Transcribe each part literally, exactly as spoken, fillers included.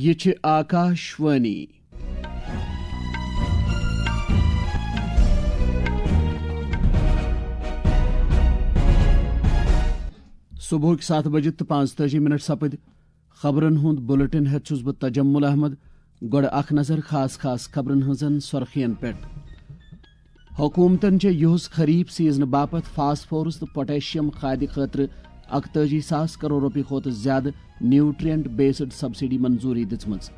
یہِ چھِ آکاشوانی۔ صبحٕکۍ ستھ بجہِ تہٕ پانٛژتٲجی منٹ سپٕدۍ۔ خبرن ہُنٛد بلیٹن ہٮ۪تھ چھُس بہٕ تجمل احمد۔ گۄڈٕ اکھ نظر خاص خاص خبرن ہٕنٛزن سرخین پٮ۪ٹھ۔ حکومتن چھےٚ یُہُس خریف سیزنہٕ باپتھ فاسفورس تہٕ پوٹیشیم کھادِ خٲطرٕ اکتٲجی ساس کرور رۄپیہِ کھۄتہٕ زیادٕ نیوٹرینٹ بیسڈ سبسڈی منظوری دِژمٕژ۔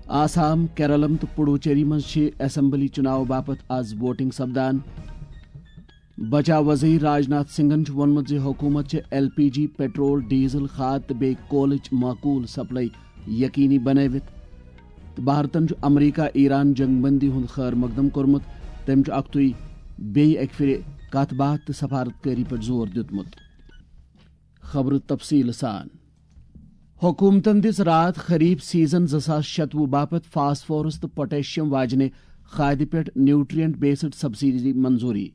آسام، کیرلم تہٕ پڈوچیری منٛز چھِ اسمبلی چُناو باپتھ آز ووٹنگ سپدان۔ بچاو وزیر راج ناتھ سنگھن چھُ ووٚنمُت زِ حکوٗمت چھِ ایل پی جی، پیٹرول، ڈیزل، کھاد تہٕ بیٚیہِ کولٕچ معقول سپلائی یقینی بنٲوِتھ۔ تہٕ بھارتن چھُ امریکہ ایران جنگ بندی ہُنٛد خیر مقدم کوٚرمُت۔ تٔمۍ چھُ اکتُے بیٚیہِ اکہِ پھِرِ کتھ باتھ تہٕ سفارت کٲری پٮ۪ٹھ زور دیُتمُت۔ خبرٕ تفصیٖل سان۔ حکوٗمتَن دِژ راتھ خریف سیزن زٕ ساس شتوُہ باپتھ فاسفورس تہٕ پوٹیشیم واجنہِ کھادِ پٮ۪ٹھ نیوٹرینٹ بیسڈ سبسڈی منظوری۔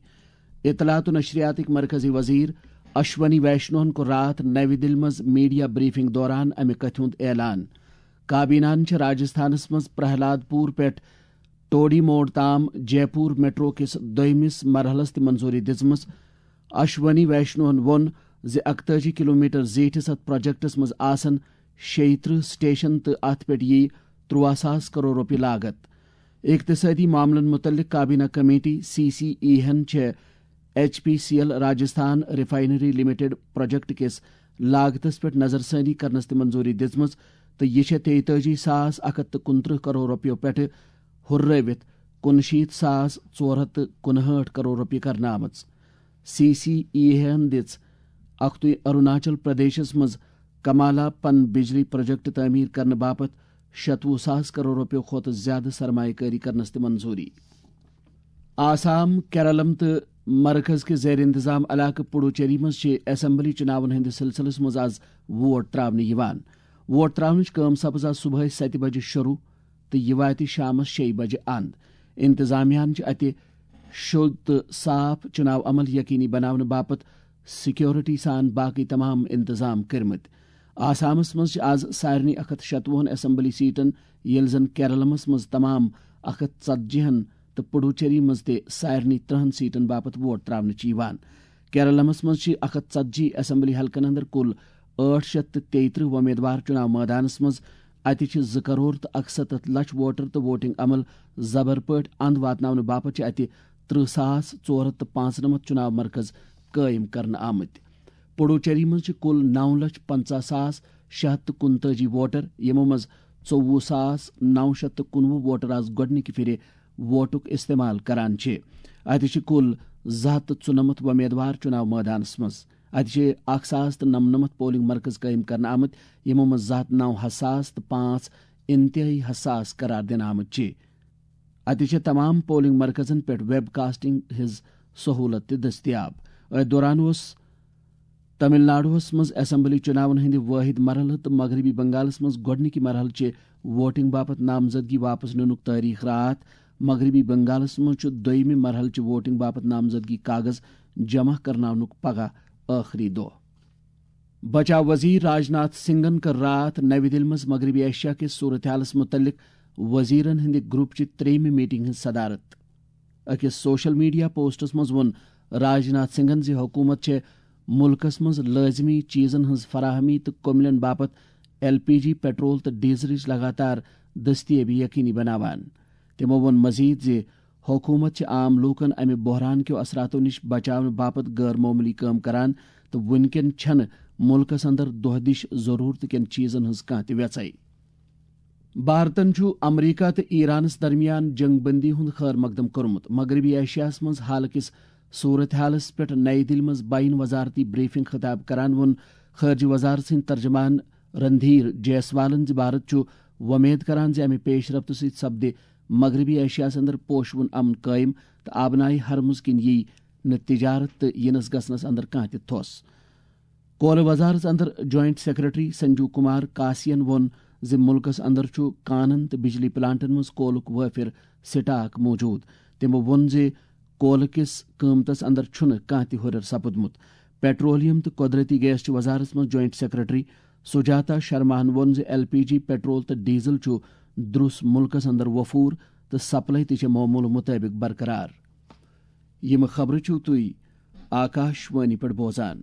اطلاعات و نشریاتٕکۍ مرکزی وزیر اشونی ویشنوہن کوٚر راتھ نَوِ دِلہِ منٛز میڈیا بریفنگ دوران امہِ کتھِ ہُنٛد اعلان۔ کابینہَن چھِ راجستھانس منٛز پرہلاد پور پٮ۪ٹھ ٹوڈی موڑ تام جے پور میٹرو کِس دوٚیمِس مرحلس تہِ منظوری دِژمٕژ۔ اشونی ویشنوہن ووٚن زِ اکتٲجی کلومیٹر زیٖٹھِس اتھ پروجیکٹس منٛز آسن شیٚیہِ ترٕہ سٹیشن تہٕ اتھ پٮ۪ٹھ یِیہِ ترُواہ ساس کرور رۄپیہِ لاگت۔ اقتصٲدی معاملن مُتعلق کابینہ کمیٹی، سی سی ای ہن چھےٚ H P C L Rajasthan refinery limited project کِس لاگتس پٮ۪ٹھ نظر ثانی کرنس تہِ منظوری دِژمٕژ تہٕ یہِ چھےٚ تیتٲجی ساس اکھ ہتھ تہٕ کُنترٕہ کرور رۄپیو پٮ۪ٹھٕ ہُررٲوِتھ کُنشیٖتھ ساس ژور ہتھ تہٕ کُنہٲٹھ کرور رۄپیہِ کرنہٕ آمٕژ۔ سی سی ای ہن دِژ اکھتُے اروناچل پردیشس منٛز کمالا پن بجلی پروجیکٹ تعمیٖر کرنہٕ باپتھ شتوُہ ساس کرور رۄپیو کھۄتہٕ زیادٕ سرمایہ کٲری کرنس تہِ منظوری۔ آسام، کیرلم تہٕ مرکز کِس زیر انتظام علاقہٕ پڈوچیری منٛز چھِ اسمبلی چُناون ہٕنٛدِس سلسلس منٛز آز ووٹ تراونہٕ یِوان۔ ووٹ تراونٕچ کٲم سپٕز آز صبحٲے ستہِ بجہِ شروع تہٕ یہِ واتہِ شامس شیٚیہِ بجہِ اند۔ انتظامیہ ہن چھِ اتہِ شوٚد تہٕ صاف چُناو عمل یقینی بناونہٕ باپتھ سیکورٹی سان باقٕے تمام انتظام کٔرمٕتۍ۔ آسامس منٛز چھِ آز سارنٕے اکھ ہتھ شتوُہن اسمبلی سیٹن، ییٚلہِ زن کیرلمس منٛز تمام اکھ ہتھ ژتجی ہن تہٕ پڈوچیری منٛز تہِ سارنٕے ترٕہن سیٹن باپتھ ووٹ تراونہٕ چھِ یِوان۔ کیرلمس منٛز چھِ اکھ ہتھ ژتجی اسمبلی حلقن اندر کُل ٲٹھ شتھ تہٕ تیٚیہِ ترٕہ وۄمیدوار چُناو مٲدانس منٛز۔ اتہِ چھِ زٕ کرور تہٕ اکستتھ لچھ ووٹر تہٕ ووٹنگ عمل زبر پٲٹھۍ اند واتناونہٕ باپتھ چھِ اتہِ ترٕہ ساس ژور ہتھ تہٕ پانٛژنمتھ چُناو مرکز قٲیِم کرنہٕ آمٕتۍ۔ پڈوچیری منٛز چھِ کُل نو لچھ پنژاہ ساس شےٚ ہتھ تہٕ کُنتٲجی ووٹر، یِمو منٛز ژوٚوُہ ساس نو شتھ تہٕ کُنوُہ ووٹر آز گۄڈٕنِکہِ پھِرِ ووٹُک استعمال کران چھِ۔ اتہِ چھِ کُل زٕ ہتھ تہٕ ژُنمتھ وۄمیدوار چُناو مٲدانس منٛز۔ اتہِ چھِ اکھ ساس تہٕ نمنمتھ پولنگ مرکز قٲیِم کرنہٕ آمٕتۍ، یِمو منٛز زٕ ہتھ نو حساس تہٕ پانٛژھ انتہٲئی حساس قرار دِنہٕ آمٕتۍ چھِ۔ اتہِ چھِ تمام پولنگ مرکزن پٮ۪ٹھ ویب کاسٹنگ ہٕنٛز سہولت تہِ دٔستیاب۔ أتھۍ دوران اوس تمل ناڈوہس منٛز اسمبلی چُناون ہٕنٛدِ وٲحد مرحلہٕ تہٕ مغربی بنگالس منٛز گۄڈٕنِکہِ مرحلہٕ چہِ ووٹنگ باپتھ نامزدگی واپس نِنُک تٲریخ راتھ۔ مغربی بنگالس منٛز چھُ دوٚیمہِ مرحلہٕ چہِ ووٹنگ باپتھ نامزدگی کاغذ جمع کرناونُک پگاہ ٲخری دۄہ۔ بچاو وزیر راج ناتھ سنگھن کٔر راتھ نَوِ دِلہِ منٛز مغربی ایشیا کِس صورتحالس مُتعلق وزیرن ہٕنٛدِ گروپ چہِ ترٛیٚیِمہِ میٹنگ ہٕنٛز صدارت۔ أکِس سوشل میڈیا پوسٹس منٛز ووٚن راج ناتھ سنگھن زِ حکوٗمت چھےٚ مُلکس منٛز لٲزمی چیزن ہٕنٛز فراہمی تہٕ کوملین باپتھ ایل پی جی، پیٹرول تہٕ ڈیزلٕچ لگاتار دٔستیٲبی یقینی بناوان۔ تِمو ووٚن مزید زِ حکوٗمت چھِ عام لوٗکن امہِ بحران کیو اثراتو نِش بچاونہٕ باپتھ غٲر معموٗلی کٲم کران تہٕ وُنکٮ۪ن چھنہٕ مُلکس اندر دۄہ دِش ضروٗرتہٕ کٮ۪ن چیزن ہٕنٛز کانٛہہ تہِ وٮ۪ژھے۔ بھارتن چھُ امریکہ تہٕ ایرانس درمیان جنگ بندی ہُنٛد خیر مقدم کوٚرمُت۔ مغربی ایشیاہس منٛز حال کِس صورتحالس پٮ۪ٹھ نَیہِ دِلہِ منٛز بین وزارتی بریفنگ خطاب کران ووٚن خارجہ وزارت سٕنٛدۍ ترجمان رندھیر جیسوالن زِ بھارت چھُ وۄمید کران زِ امہِ پیش رفتہٕ سۭتۍ سپدِ مغربی ایشیاہس اندر پوشوُن امن قٲیِم تہٕ آبنائے ہرمز کِنۍ ییہِ نہٕ تجارت تہٕ یِنس گژھنس اندر کانٛہہ تہِ تھوٚس۔ کولہٕ وزارت another joint secretary Sanju Kumar کاسین ووٚن زِ مُلکس اندر چھُ کانن تہٕ بجلی پلانٹن منٛز کولُک وٲفر سٹاک موجود۔ تِمو ووٚن زِ کولہٕ کِس قۭمتس اندر چھُنہٕ کانٛہہ تہِ ہُرٮ۪ر سپُدمُت۔ پیٹرولیم تہٕ قۄدرتی گیس چہِ وزارتس منٛز جوائنٹ سیکرٹری سجاتا شرماہن ووٚن زِ ایل پی جی، پیٹرول تہٕ ڈیزل چھُ دروس مُلکَس اندر وفور تہٕ سپلائی تہِ چھِ معمول مُطٲبِق برقرار۔ یِم خبرٕ چھِو تُہۍ آکاش وانی پٮ۪ٹھ بوزان۔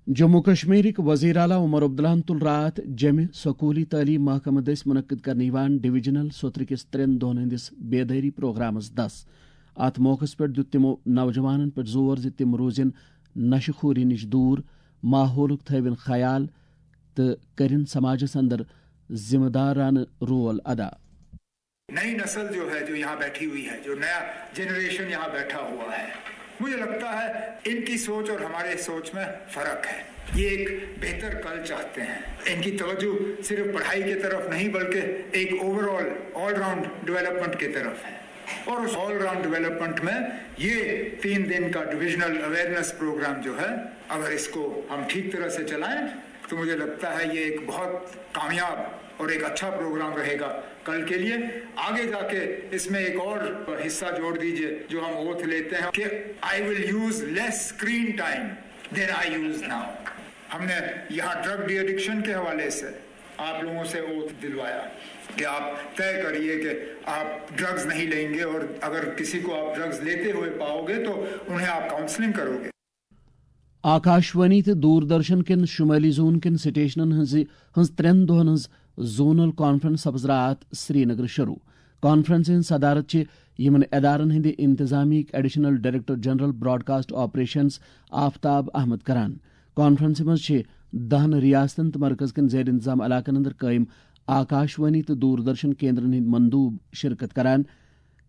جموں کشمیرٕکۍ وزیر اعلیٰ عمر عبداللہَن تُل راتھ جمہِ سکوٗلی تعلیٖم محکمہٕ دٔسۍ منعقد کرنہٕ یِوان ڈویژنل سُترٕ کِس ترٛٮ۪ن دۄہَن ہٕنٛدِس بیدٲری پروگرامَس دَس۔ اَتھ موقعَس پٮ۪ٹھ دیُت تِمو نوجوانَن پٮ۪ٹھ زور زِ تِم روزن نشہٕ خوری نِش دوٗر، ماحولُک تھٲوِن خیال تہٕ کٔرِن سماجَس اندر ذمہ دارانہٕ رول ادا۔ نئی نسل جو ہے، جو یہاں بیٹھی ہوئی ہے، جو نیا جنریشن یہاں بیٹھا ہوا ہے، مجھے لگتا ہے ان کی سوچ اور ہمارے سوچ میں فرق ہے۔ یہ ایک بہتر کل چاہتے ہیں۔ ان کی توجہ صرف پڑھائی کی طرف نہیں، بلکہ ایک overall, all round development کی طرف ہے۔ اور اس آل راؤنڈ ڈیولپمنٹ میں یہ تین دن کا ڈویژنل اویئرنیس پروگرام جو ہے، اگر اس کو ہم ٹھیک طرح سے چلائیں تو مجھے لگتا ہے یہ ایک بہت کامیاب اور ایک اچھا پروگرام رہے گا کل کے لیے۔ آگے جا کے اس میں ایک اور حصہ جوڑ دیجیے جو ہم اوتھ لیتے ہیں کہ I will use less screen time than I use now۔ ہم نے یہاں ڈرگ ڈی ایڈکشن کے حوالے سے آپ لوگوں سے اوتھ دلوایا کہ آپ طے کریے کہ آپ ڈرگز نہیں لیں گے، اور اگر کسی کو آپ ڈرگز لیتے ہوئے پاؤ گے تو انہیں آپ کاؤنسلنگ کرو گے۔ آکاشوانی تہٕ دوردرشن کٮ۪ن شمٲلی زون کٮ۪ن سٹیشنن ہٕنٛزِ ہٕنٛز ترٛٮ۪ن دۄہن ہٕنٛز زونل کانفرنس سپز راتھ سرینگر شروع۔ کانفرنسہِ ہٕنٛز صدارت چھِ یِمن ادارن ہٕنٛدِ انتظامیہٕکۍ additional director general broadcast operations Aftab Ahmad کران۔ کانفرنسہِ منٛز چھِ دہن ریاستن تہٕ مرکز کٮ۪ن زیر انتظام علاقن اندر قٲیِم آکاشوانی تہٕ دوردرشن کیندرن ہٕنٛدۍ مندوب شرکت کران۔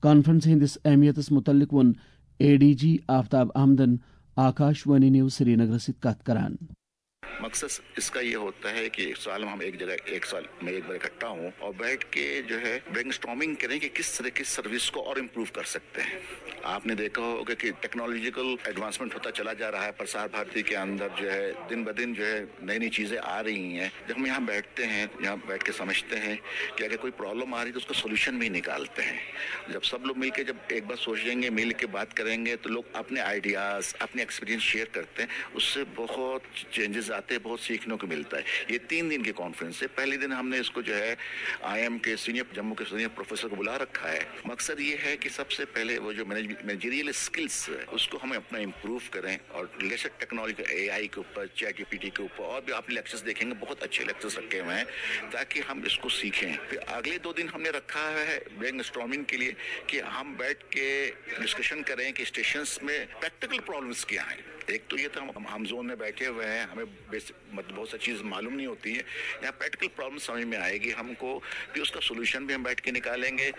کانفرنسہِ ہٕنٛدِس اہمیتس متعلق ووٚن اے ڈی جی آفتاب احمدن آکاشوانی نیوز سرینگرس سۭتۍ کتھ کران۔ مقصد اس کا یہ ہوتا ہے کہ سال میں ہم ایک جگہ، ایک سال میں ایک بار اکٹھا ہوں اور بیٹھ کے جو ہے برین اسٹارمنگ کریں کہ کس طرح کی سروس کو اور امپروو کر سکتے ہیں۔ آپ نے دیکھا ہوگا کہ ٹیکنالوجیکل ایڈوانسمنٹ ہوتا چلا جا رہا ہے، پرسار بھارتی کے اندر جو ہے دن بدن جو ہے نئی نئی چیزیں آ رہی ہیں۔ جب ہم یہاں بیٹھتے ہیں، یہاں بیٹھ کے سمجھتے ہیں کہ اگر کوئی پرابلم آ رہی ہے تو اس کا سولوشن بھی نکالتے ہیں۔ جب سب لوگ مل کے، جب ایک بار سوچیں گے، مل کے بات کریں گے، تو لوگ اپنے آئیڈیاز، اپنے ایکسپیرینس شیئر کرتے ہیں، اس سے بہت چینجز آتے ہیں، بہت سیکھنے کو ملتا ہے۔ یہ تین دن کی کانفرنس ہے۔ پہلے دن ہم نے اس کو جو ہے I M K senior, Jammu کے سینئر پروفیسر کو بلا رکھا ہے۔ مقصد یہ ہے کہ سب سے پہلے وہ جو مینیجریل اسکلس ہے، اس کو ہمیں اپنا امپروو کریں، اور لیٹسٹ ٹیکنالوجی، اے آئی کے اوپر، چیٹ جی پی ٹی کے اوپر، اور بھی آپ لیکچرز دیکھیں گے، بہت اچھے لیکچرز رکھے ہوئے ہیں تاکہ ہم اس کو سیکھیں۔ پھر اگلے دو دن ہم نے رکھا ہے برین اسٹارمنگ کے لیے کہ ہم بیٹھ کے ڈسکشن کریں کہ اسٹیشنز میں پریکٹیکل پرابلمس کیا ہیں۔ ایک تو یہ تھا، ہم، ہم زون میں بیٹھے ہوئے ہیں، ہمیں بیسک، مطلب، بہت ساری چیز معلوم نہیں ہوتی ہے۔ یہاں پریکٹیکل پرابلم سمجھ میں آئے گی ہم کو، پھر اس کا سولوشن بھی ہم بیٹھ کے نکالیں گے۔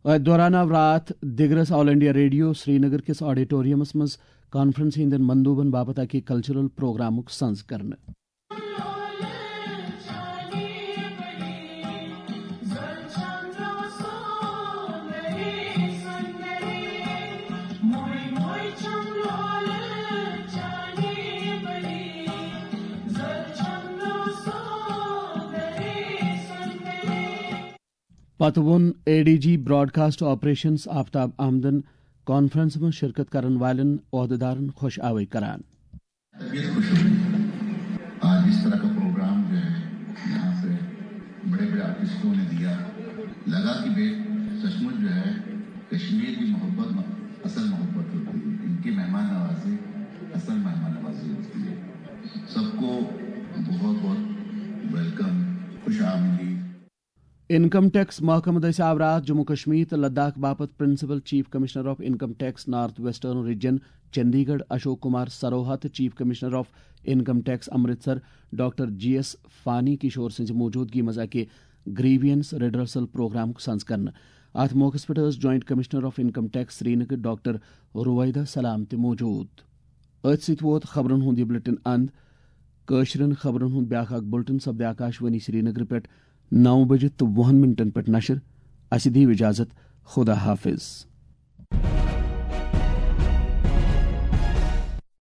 أتھۍ دوران آو راتھ دِگرس آل انڈیا ریڈیو سرینگر کِس آڈیٹورمس منٛز کانفرنس ہٕنٛدٮ۪ن مندوبن باپتھ اکہِ کلچرل پروگرامُک سنز کرنہٕ۔ پتہٕ ووٚن A D G broadcast operations Aftab احمدن کانفرنس منٛز شرکت کرن والٮ۪ن عہدیدارن خۄش آوے کران۔ طبیعت خوش ہو گئی۔ آج اس طرح کا پروگرام جو ہے یہاں سے بڑے بڑے آرٹسٹوں نے دیا، لگا کہ بے سچ مچ جو ہے کشمیر کی محبت م-، اصل محبت ہوتی ہے، ان کی مہمان نوازی اصل مہمان نوازی ہوتی ہے۔ سب کو بہت بہت ویلکم، خوش آمدید۔ انکم ٹیکس محکمہٕ دٔسۍ آو راتھ جموں کشمیر تہٕ لداخ باپتھ principal chief commissioner of income tax north western region Chandigarh Ashok Kumar Sarwaha تہٕ chief commissioner of income tax Amritsar doctor G S Phani Kishore سٕنٛزِ موجودگی منٛز اکہِ گریونس ریڈرسل پروگرامُک سنز کرنہٕ۔ اتھ موقعس پٮ۪ٹھ ٲس joint commissioner of income tax Srinagar doctor Ruveda Salam تہِ موجود۔ أتھۍ سۭتۍ ووت خبرن ہُنٛد یہِ بلیٹن اند۔ کٲشرٮ۪ن خبرن ہُنٛد بیاکھ اکھ بلیٹن سپدِ آکاشوانی سرینگر پٮ۪ٹھ نو بجہِ تہٕ وُہن منٹن پٮ۪ٹھ نشر۔ اسہِ دِیِو اجازت۔ خدا حافظ۔